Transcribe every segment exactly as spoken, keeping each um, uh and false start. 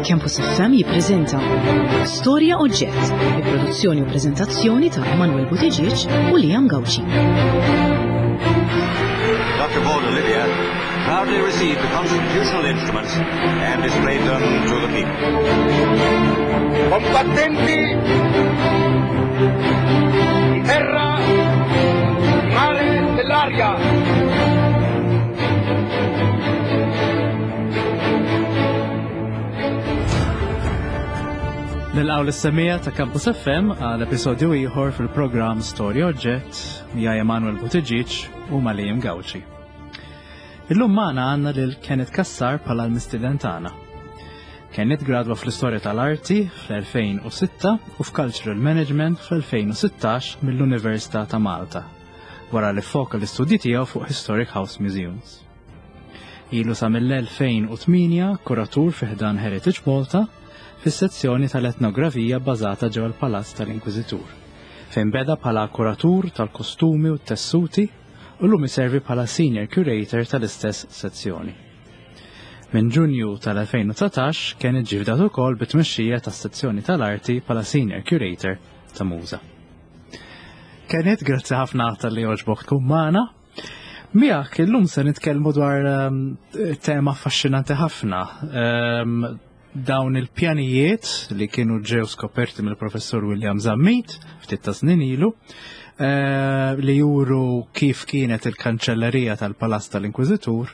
Campus F M jippreżenta Storja Oġġett, bi produzzjoni u preżentazzjoni ta' Emanuel Buttigieg u Liam Gauci. Doctor Paul Olivia proudly received the constitutional instruments and displayed them to the people. Combattenti di terra, mare dell'aria. Nilqgħu l-semija ta' Campus F M għal episodju ieħor fil-programm Storja Oġġett miegħi Emanuel Buttigieg u ma' Liam Gauci. Illum magħna għandna lil Kenneth Cassar bħala l-mistieden tagħna. Kenneth gradwa fl-istorja tal-arti fl-elfejn u sitta u f'Cultural Management fl-elfejn u sittax mill-Università ta' Malta, wara li foka l-istudji tiegħu fuq Historic House Museums. Ilu sa mill-elfejn u tmienja kuratur fi ħdan Heritage Malta fis-sezzjoni tal-etnografija bbażata ġewwa l-Palazz tal-Inkwiżitur, fejn beda bħala kuratur tal-kostumi u t-tessuti u llum iservi bħala senior curator tal-istess sezzjoni. Minn Ġunju tal-elfejn u dsatax kien iġġifdat ukoll bit-tmexxija tas-sezzjoni tal-arti bħala senior curator ta' Muża. Kenneth, grazzi ħafna tal-li għoġbok tkun magħna. Miegħek illum se nitkellmu dwar, ehm, tema affaxxinanti ħafna. Ehm, dawn il-pjanijiet li kienu ġew skoperti mill-professur William Zammit ftit ta' snin ilu, eh, li juru kif kienet il-kanċellerija tal-Palazz tal-Inkwiżitur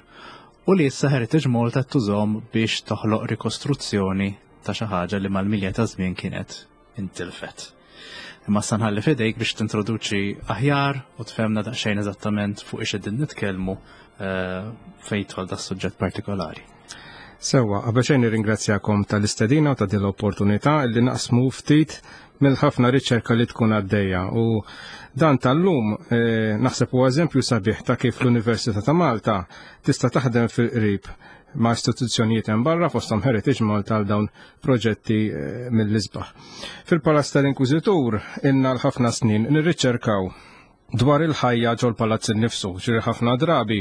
u li issa Heritage Malta tużhom biex toħloq rikostruzzjoni ta' xi ħaġa li mal-milja ta' żmien kienet intilfet. Imma issa nħalli f'idejk biex tintroduċi aħjar u tfehmna daqsxejn eżattament fuq ix qegħdin nitkellmu, eh, fejn jidħol da' suġġett partikolari. Sewwa, qabel xejn nirringrazzjakom tal-istedina u ta' din l-opportunità li naqsmu ftit mill-ħafna riċerka li tkun għaddejja. U dan tal-lum, eh, naħseb huwa eżempju sabiħ ta' kif l-Università ta' Malta tista' taħdem fil-qrib ma' istituzzjonijiet hemm barra fosthom Heritage Malta għal dawn proġetti, eh, mill-isbaħ. Fil-Palazz tal-Inkwiżitur ilna l-ħafna snin nirriċerkaw dwar il-ħajja ġol palazz innifsu, ġiri ħafna drabi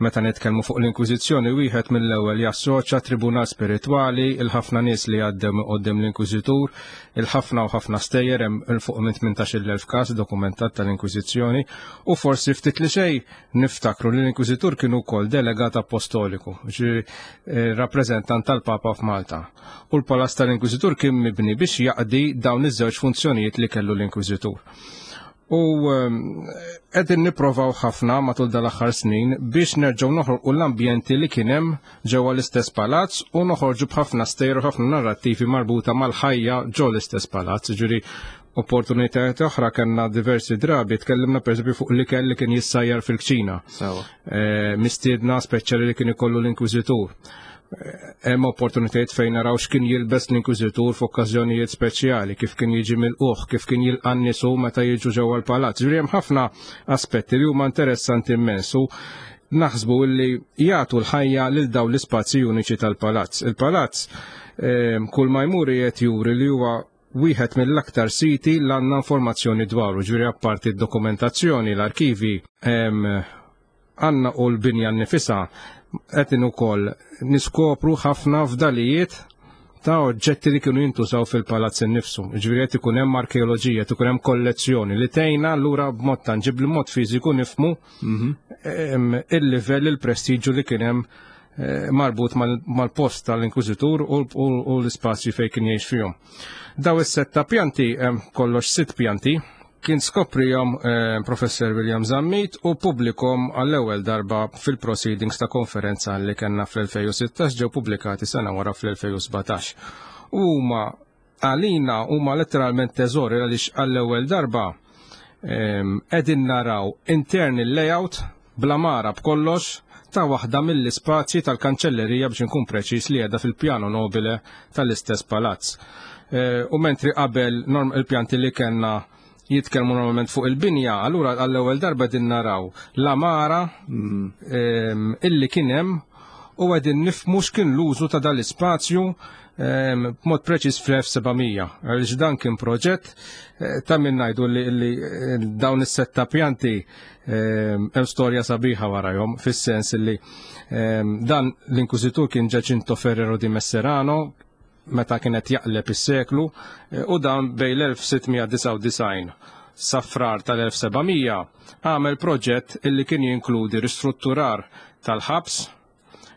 meta nitkellmu fuq l-Inkwiżizzjoni wieħed mill-ewwel jassoċja tribunal spiritwali, il-ħafna nies li għaddew minn quddiem l-Inkwiżitur, il-ħafna u ħafna stejjer hemm il fuq minn tmintax-il elf każ dokumentat tal-Inkwiżizzjoni, u forsi ftit li xejn niftakru li l-Inkwiżitur kien ukoll delegat apostoliku, ġiri, eh, rappreżentant tal-Papa f'Malta. U l-Palazz tal-Inkwiżitur kien mibni biex jaqdi dawn iż-żewġ funzjonijiet li kellu l-Inkwiżitur. U, ehm, qegħdin nipprovaw ħafna matul dal-aħħar snin biex nerġgħu noħolqu l-ambjenti li kien hemm ġewwa l-istess palazz u noħorġu b'ħafna stejjer u ħafna narrattivi marbuta mal-ħajja ġo l-istess palazz. Ġifieri opportunitajiet oħra kellna diversi drabi, tkellimna pereżempju fuq l-ikel li kien jissajjar fil-kċina. Sewa. Eh, mistiedna speċjali li kien ikollu l-Inkwiżitur. Hemm opportunitajiet fejn naraw x'kien jilbes l-Inkwiżitur f'okkażjonijiet speċjali, kif kien jiġi mill-uħ, kif kien jilqa' n-nies hu meta jiġu ġewwa l-palazz. Ġifieri hemm ħafna aspetti li huma interessanti immens u naħsbu li jagħtu l-ħajja lil dawn l-ispazji uniċi tal-palazz. Il-palazz, ehm, kull ma jmur qiegħed juri li huwa wieħed mill-aktar siti li għandna informazzjoni dwaru, ġifieri apparti d-dokumentazzjoni, l-arkivi, ehm, għandna u l-binja nnifisha qed ukoll niskopru ħafna fdalijiet ta' oġġetti li kienu jintużaw fil-palazz innifsu. Ġifieri qed ikun hemm arkeoloġija, qed ikun hemm kollezzjoni li tgħinna allura b'mod tanġibbli, b'mod fiżiku nifhmu, Mhm. ehm, il-livell, il-prestiġu li kien hemm, eh, marbut mal-, mal-post tal-Inkwiżitur u, u, u l-ispazji fejn kien jgħix fihom. Daw is-sett ta' pjanti, hemm kollox sitt pjanti, kien skoprihom, eh, Professor William Zammit u publikom għall-ewwel darba fil-proceedings ta' konferenza li kellna fl-elfejn u sittax, ġew pubblikati sena wara fl-elfejn u sbatax. Huma għalina huma letteralment teżori għaliex għall-ewwel darba, ehm, qegħdin naraw internal layout bla mara b'kollox ta' waħda mill-ispazji tal-kanċellerija biex inkun preċiż li qiegħda fil-piano nobile tal-istess palazz. Eh, u mentri qabel norm il-pjanti li kellna jitkellmu normalment fuq il-binja, allura għall-ewwel darba din naraw l-amara, Mm. ehm, illi kien hemm u qegħdin nifhmu x'kien l-użu ta' dal-ispazju, ehm, b'mod preċiż fl-elf seba' mija. Għaliex dan kien proġett, eh, ta' min ngħidu li, li, eh, dawn is-setta pjanti, ehm, hemm storja sabiħa warahom, fis-sens li, ehm, dan l-Inkwiżitur kien Giacinto Ferrero di Messerano, meta kienet jaqleb is-seklu, u dan bejn l-elf sitt mija disgħa u disgħin sa frar tal-elf seba' mija għamel proġett illi kien jinkludi ristrutturar tal-ħabs,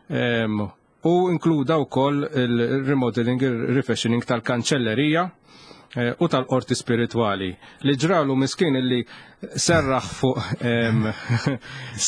em, u inkluda wkoll il-remodeling, il-refashioning tal-kanċellerija, eh, u tal-qorti spiritwali. Li ġralu miskin illi serraħ fuq, em,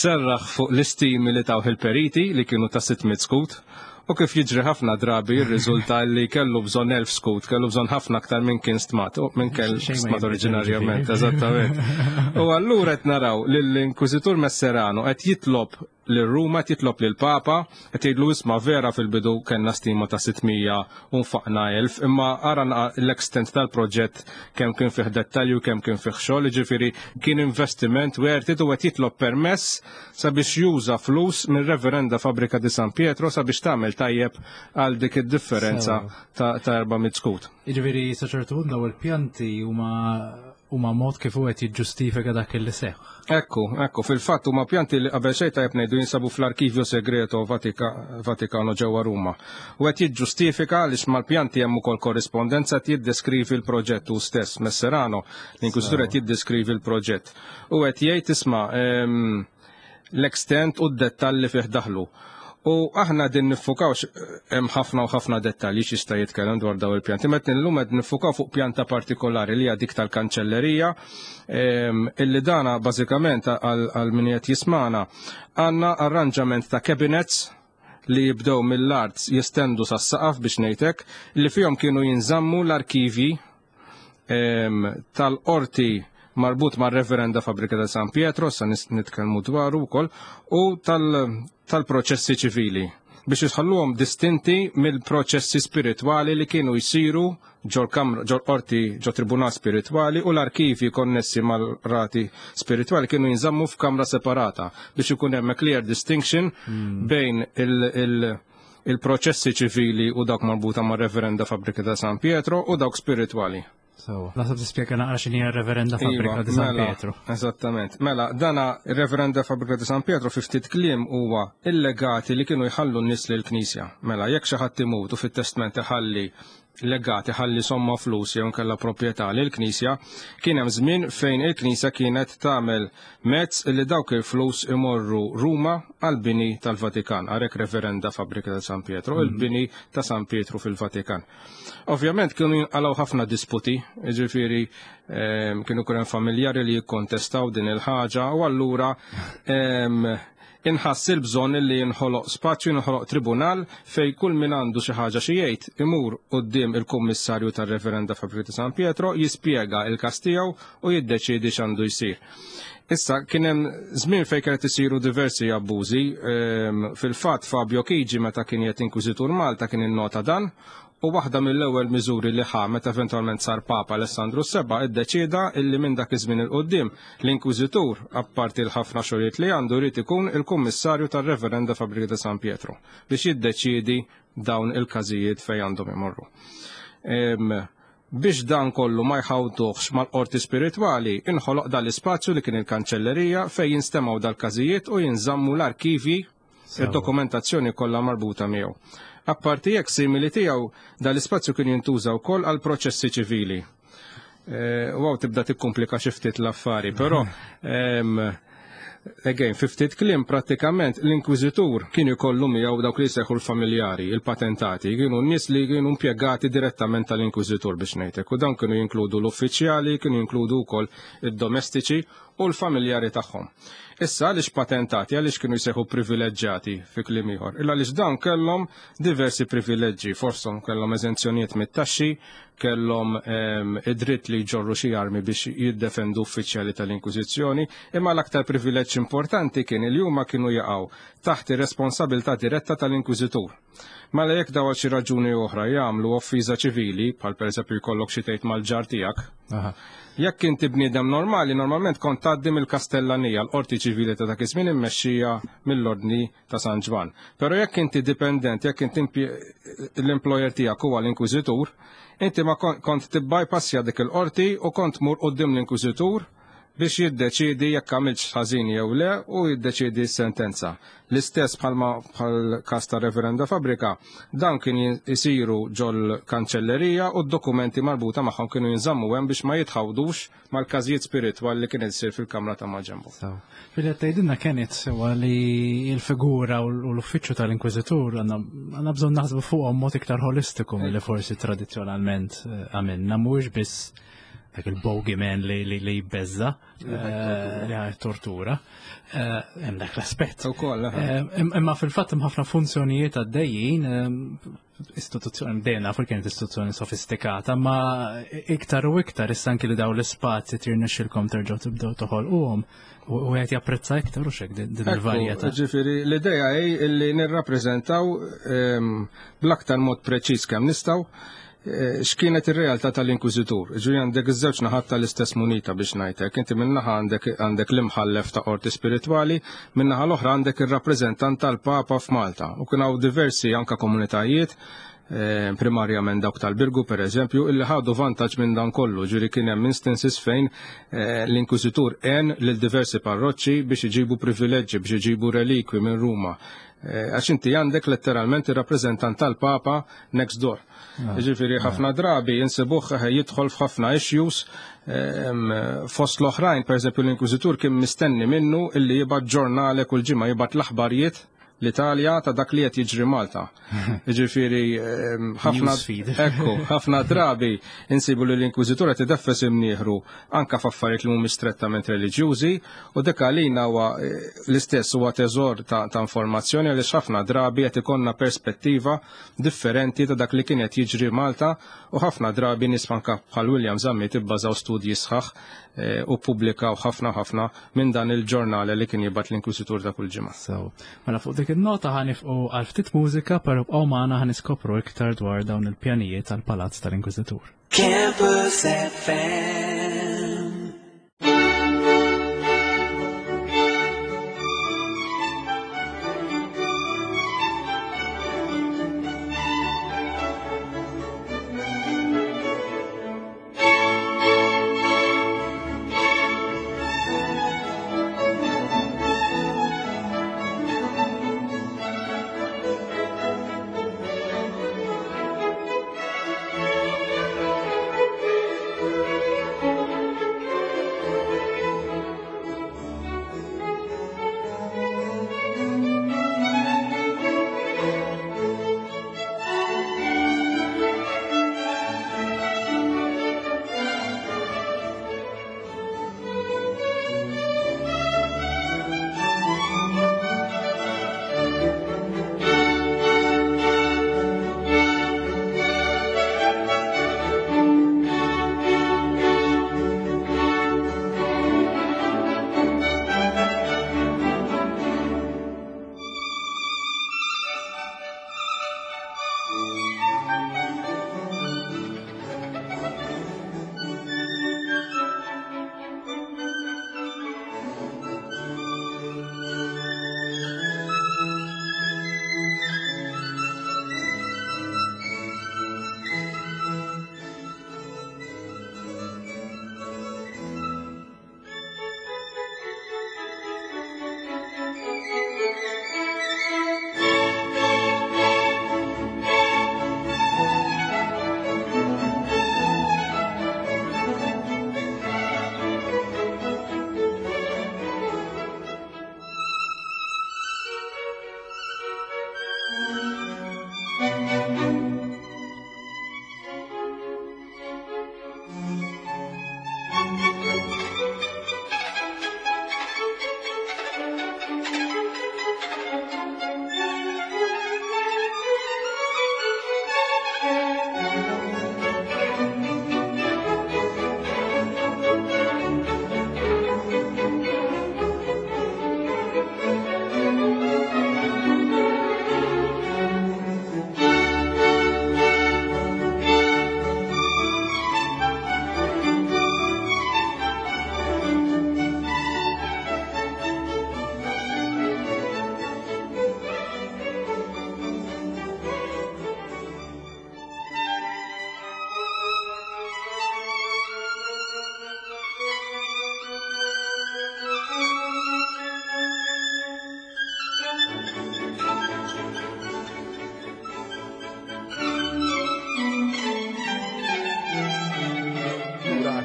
serraħ fuq l-istimi li tawh il-periti li kienu ta' sitt mitt skut, u kif jiġri ħafna drabi jirriżulta li kellu bżonn elf skut, kellu bżonn ħafna aktar minn kien stmat, u minn kell Xejn ma stmat jinbidel, oriġinarjament, ġifieri. Eżattament. U allura qed naraw lill-Inkwiżitur Messerano qed jitlob lil Ruma, qed jitlob lil Papa, qed jgħidlu: "Isma', vera fil-bidu kellna stima ta' sitt mija u nfaqna elf, imma ara l-extent tal-proġett, kemm kien fih dettalju, kemm kien fih xogħol, jiġifieri kien investiment worth it", u qed jitlob permess sabiex juża flus minn Reverenda Fabbrica di San Pietro sabiex tagħmel tajjeb għal dik id-differenza ta' ta' erba' mitt skut. Jiġifieri sa ċertu punt daw il-pjanti huma huma mod kif hu qed jiġġustifika dak li seħħ. Ekku, ekku, fil-fatt huma pjanti li qabel xejn tajjeb ngħidu jinsabu fl-Arkivju Segreto Vatika, Vatikano ġewwa Ruma. U qed jiġġustifika għaliex mal-pjanti hemm ukoll korrispondenza, qed jiddeskrivi l-proġett hu stess Messerano, l-inkwiżitur qed jiddeskrivi l-proġett. U qed jgħid: "Isma', ehm, l-extent u d-dettalli fih daħlu." U aħna din niffukawx, hemm ħafna u ħafna dettalji x'jista' jitkellem dwar daw il-pjanti. Meta illum qed nifukaw fuq pjanta partikolari li hija dik tal-kanċellerija, ehm, illi dana bażikament għal għal min qed jismana għandna arranġament ta' cabinets li jibdew mill-art jestendu sas-saqaf biex ngħidlek, li fihom kienu jinżammu l-arkivi ehm, tal-qorti marbut mar Reverenda Fabbrica ta' San Pietro, sa nis- nitkellmu dwaru wkoll, u tal- tal-proċessi ċivili biex jisħalluhom distinti mill-proċessi spiritwali li kienu jsiru ġol kamra, ġol qorti, ġol tribunal spiritwali, u l-arkivi konnessi mal-rati spiritwali kienu jinżammu f'kamra separata biex ikun hemm a clear distinction bejn il- il- il-proċessi ċivili u dawk marbuta mar Reverenda Fabbrica ta' San Pietro u dawk spiritwali. So, naħseb tispjega naqra x'inhi r-Reverenda Fabbrica Iva, di San mela, Pietro. Eżattament. Mela, dana Reverenda Fabbrica di San Pietro fi ftit kliem huwa il-legati li kienu jħallu n-nies lill-Knisja. Mela, jekk xi ħadd imut u fit-testament iħalli legati, ħalli somma flus jew nkella proprjetà lill-Knisja, kien hemm żmien fejn il-Knisja kienet tagħmel mezz li dawk il-flus imorru Ruma għal-bini tal-Vatikan, għalhekk Reverenda Fabbrica ta' San Pietro, il-bini ta' San Pietro fil-Vatikan. Ovvjament kienu jinqalgħu ħafna disputi, jiġifieri ehm, kienu kuren familjari li jikkontestaw din il-ħaġa u allura ehm, inħass il-bżonn li jinħoloq spazju, jinħoloq tribunal fej kull min għandu xi ħaġa xi jgħid imur quddiem il-kummissarju tar-Reverenda Fabbrica ta' San Pietro, jispjega il-każ tiegħu u jiddeċiedi x'għandu jsir. Issa kien hemm żmien fejn kienet isiru diversi abbużi, ehm, fil-fatt Fabio Chigi, meta kien qed inkwiżitur Malta, kien innota dan u waħda mill-ewwel miżuri li ħa meta eventwalment sar Papa Alessandru Seba' iddeċieda illi minn dak iż-żmien il quddiem l-Inkwiżitur, apparti l-ħafna xogħlijiet li għandu, jrid ikun il-Kummissarju tar-Reverenda Fabbrica ta' San Pietro biex jiddeċiedi dawn il-każijiet fejn għandhom imorru. Em, biex dan kollu ma jħawduhx mal-qorti spiritwali, inħoloq dal-ispazju li kien il-kanċellerija fejn jinstemaw dal-każijiet u jinżammu l-arkivi, id-dokumentazzjoni kollha marbuta miegħu. Apparti jekk simili tiegħu, dal-ispazju kien jintuża wkoll għal proċessi ċivili. Eh, Wow, tibda tikkomplika xi ftit l-affari, però em, again, fi ftit kliem prattikament l-inkwiżitur kien ikollu miegħu dawk li jsejħu l-familjari, il-patentati, kienu n-nies li kienu impjegati direttament tal-inkwiżitur biex ngħidlek, u dawn kienu jinkludu l-uffiċjali, kienu jinkludu wkoll id-domestiċi u l-familjari tagħhom. Issa għaliex patentati, għaliex kienu jsejħu privileġġjati fi kliem ieħor? Illa għaliex dawn kellhom diversi privileġġi, forsom kellhom eżenzjonijiet mit-taxxi, kellhom ehm, id-dritt li jġorru xi armi biex jiddefendu uffiċjali tal-Inkwiżizzjoni, imma l-aktar privileġġ importanti kien li huma kienu jaqgħu taħt ir-responsabilità diretta tal-Inkwiżitur. Mela jekk daw għal xi raġuni oħra jagħmlu offiża ċivili, bħal pereżempju jkollok xi tgħid mal-ġar tiegħek, Aha. jekk inti bniedem normali, normalment kont tgħaddi mill-Kastellanija, l-qorti ċivili ta' dak iż-żmien immexxija mill-Ordni ta' San Ġwann. Però jekk inti dipendent, jekk inti impje- l-employer tiegħek huwa l-inkwiżitur, inti ma kon- kont tibbypassja dik il-qorti u kont mur quddiem l-inkwiżitur. biex jiddeċidi jekk għamilx ħażin jew le u jiddeċidi s-sentenza. L-istess bħalma bħal każ ta' Reverenda Fabrika, dan kien jisiru ġol kanċellerija u d-dokumenti marbuta magħhom kienu jinżammu hemm biex ma jitħawdux mal-każijiet spiritwali li kien isir fil-kamra ta' maġenbu. Fil tgħidilna kienet sewa li l-figura u l-uffiċċju tal-Inkwiżitur għandna bżonn naħsbu fuqhom mod iktar holistiku milli forsi tradizzjonalment għamilna, mhuwiex biss dak il-bogeyman li li li jbeżza li għaj tortura. Hemm dak l-aspett. Imma fil-fatt hemm ħafna funzjonijiet għaddejjin, istituzzjoni dejjem nafu kienet istituzzjoni sofistikata, ma iktar u iktar issa anki li daw l-ispazji tirnexxilkom terġgħu tibdew toħolquhom u qed japprezza iktar u xek din il-varjetà. Ġifieri l-idea hi li nirrappreżentaw bl-aktar mod preċiż kemm nistgħu x'kienet ir-realtà tal-Inkwiżitur. Ġifieri għandek iż-żewġ naħat tal-istess munita biex ngħidlek. Inti min-naħa għandek għandek l-imħallef ta' qorti spiritwali, min-naħa l-oħra għandek ir-rappreżentant tal-Papa f'Malta. U kien hawn diversi anke komunitajiet, primarjament dawk tal-Birgu per eżempju, illi ħadu vantaġġ minn dan kollu. Ġifieri kien hemm instances fejn l-Inkwiżitur għen lil diversi parroċċi biex iġibu privileġġi, biex iġibu relikwi minn Ruma. Għax inti għandek letteralment ir-rappreżentant tal-Papa next door. Ġifieri ħafna drabi insibuh jidħol f'ħafna issues fost l-oħrajn, per eżempju l-Inkwiżitur kien mistenni minnu illi jibgħat ġurnale kull ġimgħa, jibgħat l-aħbarijiet l-Italja ta' dak li qed jiġri Malta. Ġifieri ħafna ekku, ħafna drabi insibu li l-Inkwiżitur qed ideffes imnieħru anke f'affarijiet li mhumiex strettament reliġjużi, u dik għalina huwa l-istess huwa teżor ta', ta' informazzjoni għaliex ħafna drabi qed ikollna perspettiva differenti ta' dak li kien qed jiġri Malta, u ħafna drabi nies anke bħal William Zammit ibbażaw studji sħaħ u ppubblikaw ħafna ħafna minn dan il-ġurnale li kien jibgħat l-Inkwiżitur ta' kull ġimgħa. So, mela fuq dik in-nota ħanifqu għal ftit mużika, però bqgħu magħna ħaniskopru iktar dwar dawn il-pjanijiet tal-Palazz tal-Inkwiżitur. Campus F M.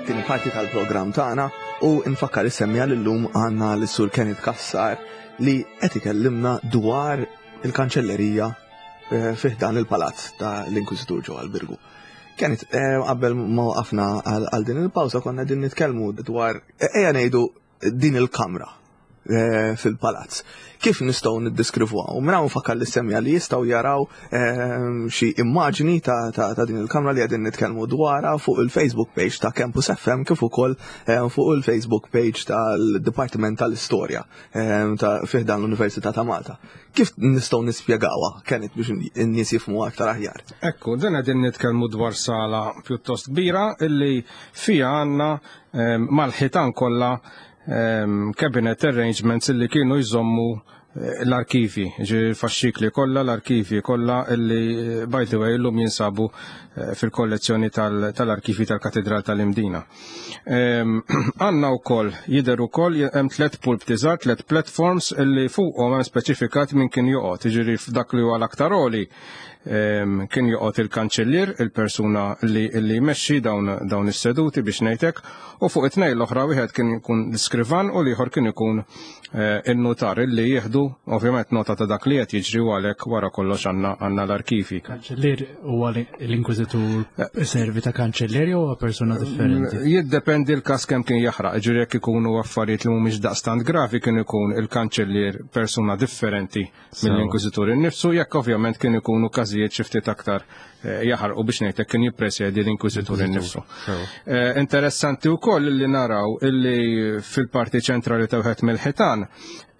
Għat-tieni parti tal-programm tagħna u nfakkar is-semmiegħa li llum għandna lis-Sur Kenneth Cassar li qed ikellimna dwar il-kanċellerija eh, fi ħdan il-palazz ta' l-Inkwiżitur ġewwa l-Birgu. Kenneth, eh, qabel ma waqafna għal din il-pawża konna din nitkellmu dwar eh, ejja ngħidu din il-kamra eh, fil-palazz. Kif nistgħu niddeskrivuha? U minn hawn nfakkar lis-semmiegħa li jistgħu jaraw eh, xi immaġni ta', ta, ta' din il-kamra li qegħdin nitkellmu dwarha fuq il-Facebook page ta' Campus F M kif ukoll eh, fuq il-Facebook page tal-Dipartiment tal-Istorja ta' fi ħdan l-Università ta' Malta. Kif nistgħu nispjegawha, Kenneth, biex n-nies jifhmu aktar aħjar? Ekku, dan qegħdin nitkellmu dwar sala pjuttost kbira illi fija għandna mal-ħitan kollha cabinet arrangements illi kienu jżommu eh, l-arkivi, ġi faxxikli kollha, l-arkivi kollha illi eh, by the way illum jinsabu eh, fil-kollezzjoni tal-arkivi tal-Katedral tal-Imdina. Għandna wkoll jidher ukoll hemm tliet pulpti żgħar, tliet platforms illi fuqhom hemm speċifikat min kien joqgħod, jiġifieri f'dak li huwa l-aktar għoli kien joqgħod il-kanċellier, il-persuna li li jmexxi dawn dawn is-seduti biex ngħidlek, u fuq it-tnejn l-oħra wieħed kien ikun l-iskrivan u l-ieħor kien ikun eh, il-notar illi jieħdu ovvjament nota ta' dak li qed jiġri u għalhekk wara kollox għandna għandna l-arkivi. Kanċellier huwa l-inkwiżitur servi ta' kanċellier jew huwa persuna differenti? Jiddependi l-każ kemm kien jaħraq, ġifieri jekk ikunu affarijiet li mhumiex daqstant gravi kien ikun il-kanċellier persuna differenti mill-inkwiżitur innifsu, jekk ovvjament kien ikunu każijiet xi ftit aktar eh, jaħarqu biex ngħidlek kien jippresjedi l-inkwiżitur innifsu. Eh, interessanti wkoll li naraw illi fil-parti ċentrali ta' wieħed mill-ħitan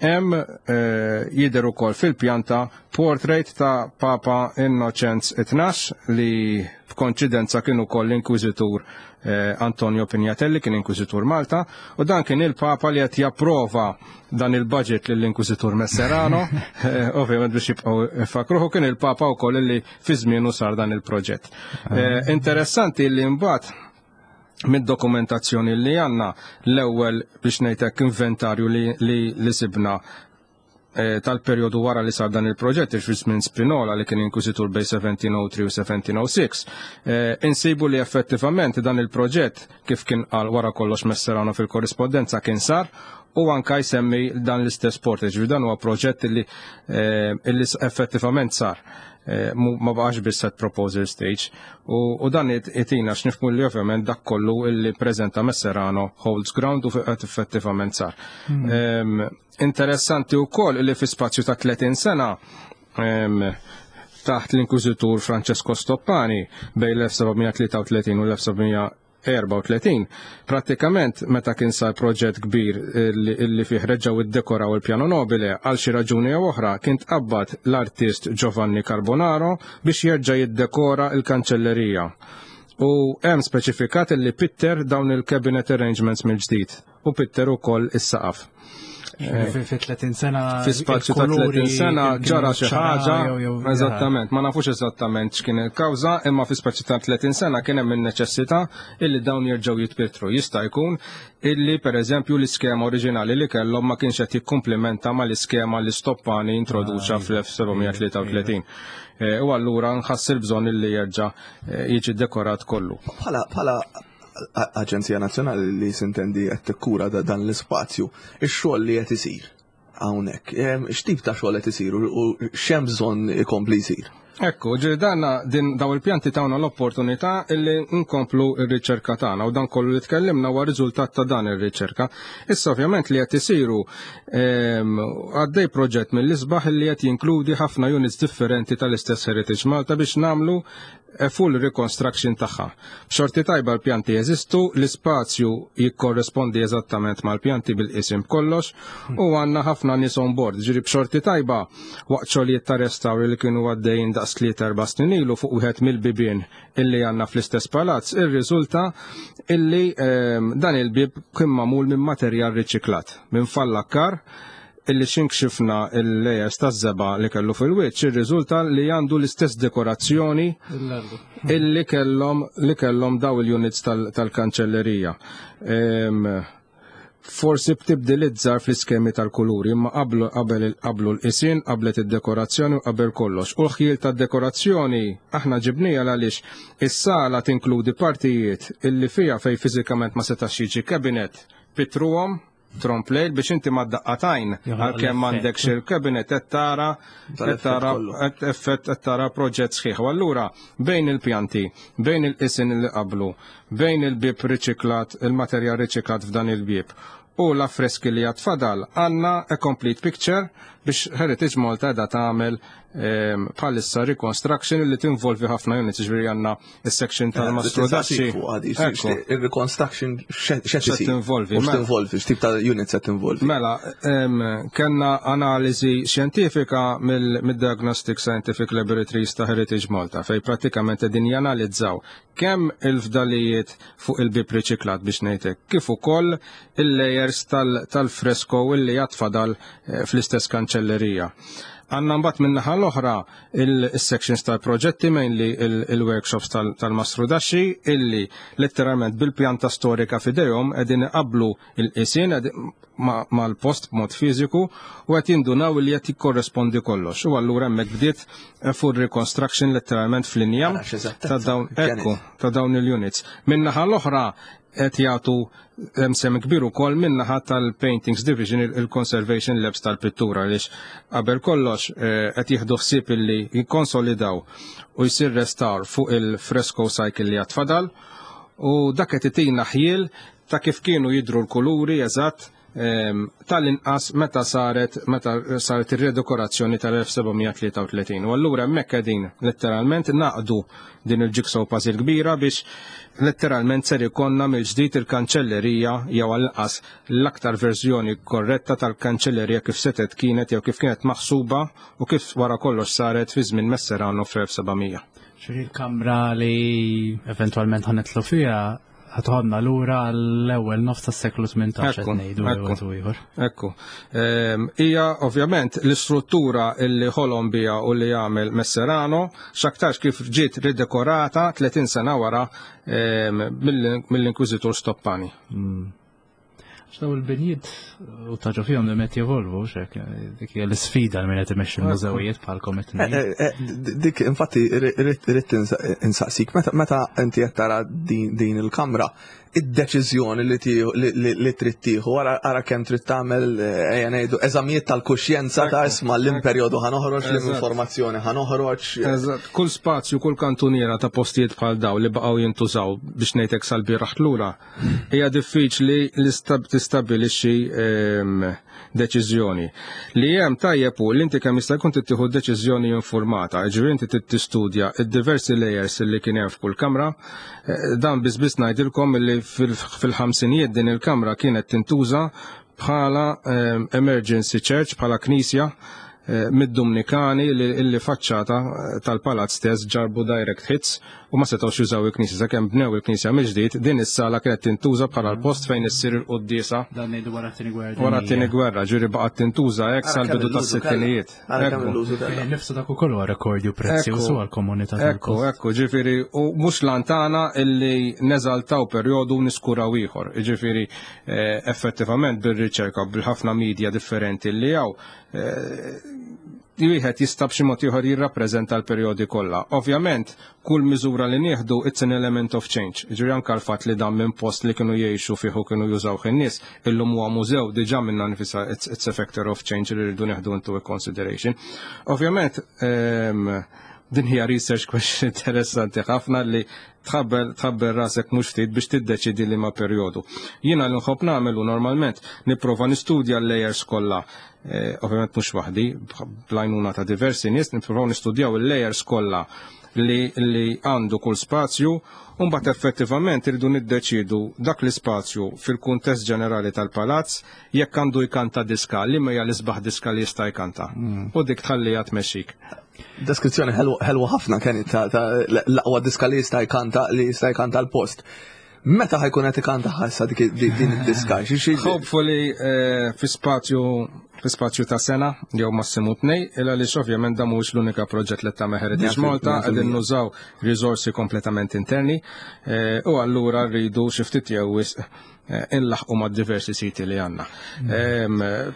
hemm eh, jidher ukoll fil-pjanta portrait ta' Papa Innocenz tnax li b'konċidenza kien ukoll l-inkwiżitur eh, Antonio Pignatelli, kien inkwiżitur Malta, u dan kien il-Papa li qed japprova dan il-budget lill-inkwiżitur Messerano, eh, ovvjament biex jibqgħu fakruhu kien il-Papa wkoll li fi żmienu sar dan il-proġett. Eh, interessanti li mbagħad mid-dokumentazzjoni li għandna, l-ewwel biex ngħidlek inventarju li, li, li sibna eh, tal-perjodu wara li sar dan il-proġett, fi żmien Spinola li kien inkwiżitur bejn seventeen oh three u seventeen oh six, eh, insibu li effettivament dan il-proġett, kif kien qal wara kollox Messerano fil-korrispondenza, kien sar u anka jsemmi dan l-istess portrait, ġifieri dan huwa proġett li, eh, illi effettivament sar. Eh, ma baqax biss at proposal stage u, u dan itina x'nifhmu li ovvjament dak kollu illi preżenta Messerano holds ground u qed effettivament sar. Hmm. Um, interessanti wkoll illi fi spazju ta' tletin sena um, taħt l-Inkwiżitur Francesco Stoppani bejn l-elf seba' mija tlieta u tletin u l-elf seba' mija erbgħa u tletin, pratikament meta kien sar proġett kbir illi fih reġgħu iddekoraw il-piano nobile, għal xi raġuni jew oħra kien tqabbad l-artist Giovanni Carbonaro biex jerġa' jiddekora il-kanċellerija. U hemm speċifikat illi pitter dawn il-cabinet arrangements mill-ġdid u pitter ukoll is-saqaf. Fi tletin sena. Fi spazju ta' tletin sena ġara xi ħaġa, eżattament, ma nafux eżattament x'kien il-kawża, imma fi spazju ta' tletin sena kien hemm in-neċessità illi dawn jerġgħu jitpittru. Jista' jkun illi pereżempju l-iskema oriġinali li kellhom ma kienx qed jikkumplimenta mal-iskema li Stoppani introduċa fl-elf seba' mija tlieta u tletin. Eh, u allura nħass il-bżonn illi jerġa' eh, jiġi dekorat kollu. Bħala bħala Aġenzija Nazzjonali li sintendi qed tikkura dan l-ispazju, ix-xogħol li qed isir hawnhekk, x'tip ta' xogħol qed isir u x'hemm bżonn ikompli jsir? Ekku, ġiri danna din daw il-pjanti tawna l-opportunità illi nkomplu ir-riċerka tagħna u dan kollu li tkellimna huwa riżultat ta' dan ir-riċerka. Issa ovvjament li qed isiru, għaddej proġett mill-isbaħ li qed jinkludi ħafna units differenti tal-istess Heritage Malta biex nagħmlu full reconstruction tagħha. B'xorti tajba l-pjanti jeżistu, l-ispazju jikkorrespondi eżattament mal-pjanti bil-isim kollox u għandna ħafna nies on board. Ġiri b'xorti tajba waqt xogħlijiet ta' restawri li kienu għaddejjin daqs tliet erba' snin ilu fuq wieħed mill-bibien illi għandna fl-istess palazz, irriżulta illi ehm, dan il-bib kien magħmul minn materjal riċiklat, minn fallakkar illi xinkxifna il-layers ta' żebgħa li kellu fil-wiċċ, irriżulta li għandu l-istess dekorazzjoni illi kellhom li kellhom daw il-units tal-kanċellerija. Forsi b'tibdiliet żgħar fl-iskemi tal-kuluri, imma qablu qabel qablu l-qisien, qablet id-dekorazzjoni u qabel kollox. U l-ħjiel tad-dekorazzjoni aħna ġibnija għaliex is-sala tinkludi partijiet illi fija fej fiżikament ma setax jiġi cabinet, pitruhom trompe-l'oeil biex inti ma daqqatajn għalkemm m'għandekx il-cabinet qed tara qed tara effett qed tara proġett sħiħ. U allura bejn il-pjanti, bejn il-qisien li qablu, bejn il-bib riċiklat, il-materjal riċiklat f'dan il-bib u l-affreski li għad fadal, għandna a complete picture biex Heritage Malta da tagħmel bħalissa reconstruction li tinvolvi ħafna units, ġifieri għandna is-section tal-Mastrodaxxi. Il-reconstruction x'qed tinvolvi? Tinvolvi, x'tip ta' units qed tinvolvi? Mela, kellna analiżi xjentifika mill-Diagnostic Scientific Laboratories ta' Heritage Malta fej prattikament qegħdin janalizzaw kemm il-fdalijiet fuq il-bib riċiklat biex ngħidlek, kif ukoll il-layers tal-fresko illi għad fadal fl-istess kanċellerija. Għandna mbagħad min-naħa l-oħra il-sections tal-proġetti, mainly il-workshops tal-Mastrodaxxi, illi letteralment bil-pjanta storika fidejhom qegħdin iqablu il-qisien mal-post b'mod fiżiku u qed jindunaw li qed jikkorrespondi kollox. U allura hemmhekk bdiet full reconstruction letteralment fl-injam ta' dawn, ekku, ta' dawn il-units. Min-naħa l-oħra qed jagħtu hemm sem kbir ukoll min-naħa tal-Paintings Division, il-Conservation Labs tal-pittura, għaliex qabel kollox qed jieħdu ħsieb illi jikkonsolidaw u jsir restawr fuq il-fresco cycle li għad fadal, u dak qed itina ħjiel ta' kif kienu jidru l-kuluri eżatt tal-inqas meta saret meta saret ir-redekorazzjoni tal-elf seba' mija tlieta u tletin. U allura hemmhekk qegħdin letteralment naqdu din il-jigsaw puzzle kbira biex letteralment ser ikonna mill-ġdid il-kanċellerija jew għall-inqas l-aktar verżjoni korretta tal-kanċellerija kif setet kienet jew kif kienet maħsuba u kif wara kollox saret fi żmien Messerano fl-elf seba' mija. Ġifieri l-kamra li eventwalment ħa nidħlu fiha ħa teħodna lura l-ewwel nofs tas-seklu tmintax qed ngħidu Ekku. Ieħor. Ekku. Ehm, Hija ovvjament l-istruttura illi ħolom bija u li jagħmel Messerano x'aktarx kif ġiet ridekorata tletin sena wara ehm, mill-Inkwiżitur Stoppani. X'daw il-binjiet u taġu fihom li qed jevolvu, xek, dik hija l-isfida li min qed imexxi l-mużewijiet bħalkom qed Eh, eh, eh, Dik, infatti, irrid insaqsik, meta meta inti qed tara din din il-kamra, id-deċiżjoni li tieħu li- li trid tieħu, ara ara kemm trid tagħmel, ejja ngħidu, eżamijiet tal-kuxjenza ta' Ekku, isma' l-imperjodu ħa noħroġ, Eżatt. l-informazzjoni ħa noħroġ. Eżatt, kull spazju, kull kantuniera ta' postijiet bħal daw li baqgħu jintużaw biex ngħidlek sal-bieraħ lura, hija diffiċli li stab- tistabbilixxi ehm, deċiżjoni. Li hemm tajjeb hu li inti kemm jista' jkun tittieħu deċiżjoni informata, ġifieri inti trid tistudja id-diversi layers li kien hemm f'kull kamra. Eh, Dan biss biss ngħidilkom li fil- fil-ħamsinijiet din il-kamra kienet tintuża bħala ehm, emergency church, bħala knisja eh, mid-Dominikani li li faċċata eh, tal-palazz stess ġarbu direct hits u ma setgħux jużaw il-knisja sakemm bnew il-knisja mill-ġdid. Din is-sala kienet tintuża bħala l-post fejn issir il-quddiesa. Dan ngħidu wara t-tieni gwerra. Wara t-tieni gwerra, ġifieri baqgħet tintuża hekk Ara sal-bidu kemm l-użu tas-sittinijiet. kellha. Ara kemm Ekku. l-użu kellha. Nifsu dak ukoll huwa rekordju prezzjuż Ekku. għall-komunità Ekku, tal-post. ekku, ġifieri, u mhux lantana illi neżaltaw perjodu niskuraw ieħor. Ġifieri, eh, effettivament bir-riċerka, bil-ħafna media differenti li hawn, eh, wieħed jista' b'xi mod ieħor jirrappreżenta l-perjodi kollha. Ovvjament, kull miżura li nieħdu, it's an element of change. Ġifieri anke l-fatt li dan minn post li kienu jgħixu fih u kienu jużaw in-nies, illum huwa mużew, diġà minna nifisha it's, it's a factor of change li rridu nieħdu into a consideration. Ovvjament, ehm, din hija research question interessanti ħafna li tħabbel tħabbel rasek mhux ftit biex tiddeċidi li ma perjodu. Jiena li nħobb nagħmel u normalment nipprova nistudja l-layers kollha. Eh, ovvjament mhux waħdi, bl-għajnuna ta' diversi nies nippruvaw nistudjaw il-layers kollha li, li għandu kull spazju u mbagħad effettivament irridu niddeċidu dak l-ispazju fil-kuntest ġenerali tal-palazz jekk għandu jkanta diska, li ma hija l-isbaħ diska li jista' jkanta. U dik tħallija tmexxik. Deskrizzjoni ħelwa ħafna kienet ta' ta' l-aqwa diska li jista' jkanta li jista' jkanta l-post. Meta ħa jkun qed ikanta ħassa dik din id-diska? Xi xi Hopefully eh, fi spazju fi spazju ta' sena jew massimu tnej, illa li ovvjament dan mhuwiex l-unika proġett li tagħmel Heritage Mija Malta, fil- mija qegħdin fil-mija. nużaw risorsi kompletament interni eh, u allura rridu xi ftit jew wisq inlaħqu ma' diversi siti li għandna.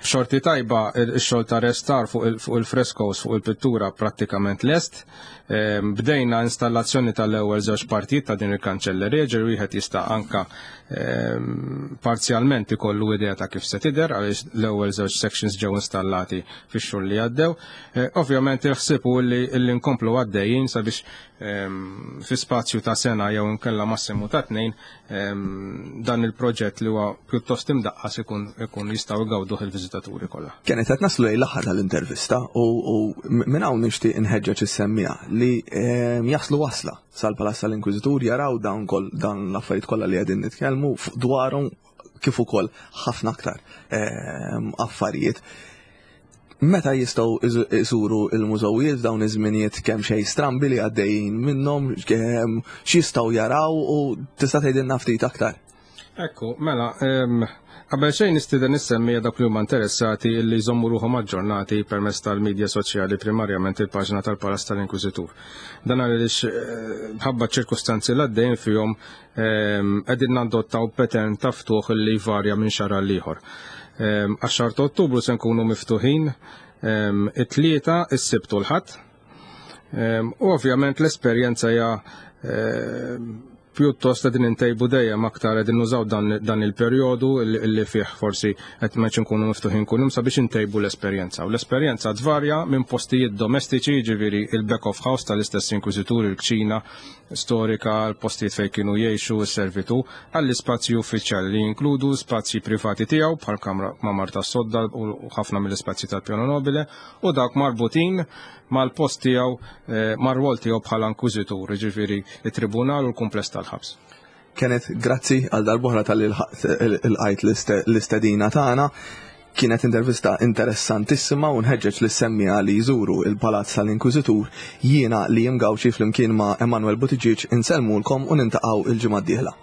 B'xorti tajba ix-xogħol ta' restawr fuq il-frescoes, fuq il-pittura prattikament lest. Bdejna installazzjoni tal-ewwel żewġ partijiet ta' din il-kanċellerija, ġifieri wieħed jista' anka parzjalment ikollu idea ta' kif se tidher għaliex l-ewwel żewġ sections ġew installati fix-xhur li għaddew. Ovvjament il-ħsieb hu li nkomplu għaddejjin sabiex fi spazju ta' sena jew inkella massimu ta' tnejn dan il-proġett li huwa pjuttost imdaqqas ikun ikun jistgħu jgawduh il-viżitaturi kollha. Kienet qed naslu lejn l-aħħar tal-intervista u minn hawn nixtieq inħeġġeġ is-semmiegħa li jaslu wasla sal-Palazz tal-Inkwiżitur jaraw dawn dan l-affarijiet kollha li qegħdin nitkellmu dwarhom kif ukoll ħafna aktar affarijiet. Meta jistgħu iżuru il-mużewijiet f'dawn iż-żminijiet kemm xejn strambi li għaddejjin minnhom, x'jistgħu jaraw u tista' tgħidilna ftit aktar? Ekku, mela, qabel xejn nistieden is-semmiegħa dawk li huma interessati li jżommu ruħhom aġġornati permezz tal-medja soċjali, primarjament il-paġna tal-Palazz tal-Inkwiżitur. Dan għaliex bħabba ċirkustanzi l għaddejjin fihom qegħdin nadottaw pattern ta' ftuħ li jvarja minn xahar għal ieħor. Għax-xahar ta' Ottubru se nkunu miftuħin it-Tlieta, is-Sibt u l-Ħadd. U ovvjament l-esperjenza hija pjuttost qegħdin intejbu dejjem aktar, qegħdin nużaw dan il-perjodu li fih forsi qed ma nkunu miftuħin kuljum sabiex intejbu l-esperjenza. U l-esperjenza tvarja minn postijiet domestiċi, jiġifieri il-back of house tal-istess inkwiżitur, il-kċina storika, l-postijiet fejn kienu jgħixu s-servitu, għall-ispazji uffiċjali li jinkludu spazji privati tiegħu bħal kamra mamar tas-sodda u ħafna mill-ispazji tal-Piano Nobile u dawk marbutin mal-post tiegħu, mar-rwol tiegħu bħala inkwiżitur, jiġifieri it-tribunal u l-kumpless tal-ħabs. Kenneth, grazzi għal darb'oħra talli lqajt l-istedina tagħna. Kienet intervista interessantissima u nħeġġeġ lis-semmiegħa li jżuru il-Palazz tal-Inkwiżitur. Jiena Liam Gauci flimkien ma' Emanuel Buttigieg insellmulkom u niltaqgħu il-ġimgħa d-dieħla.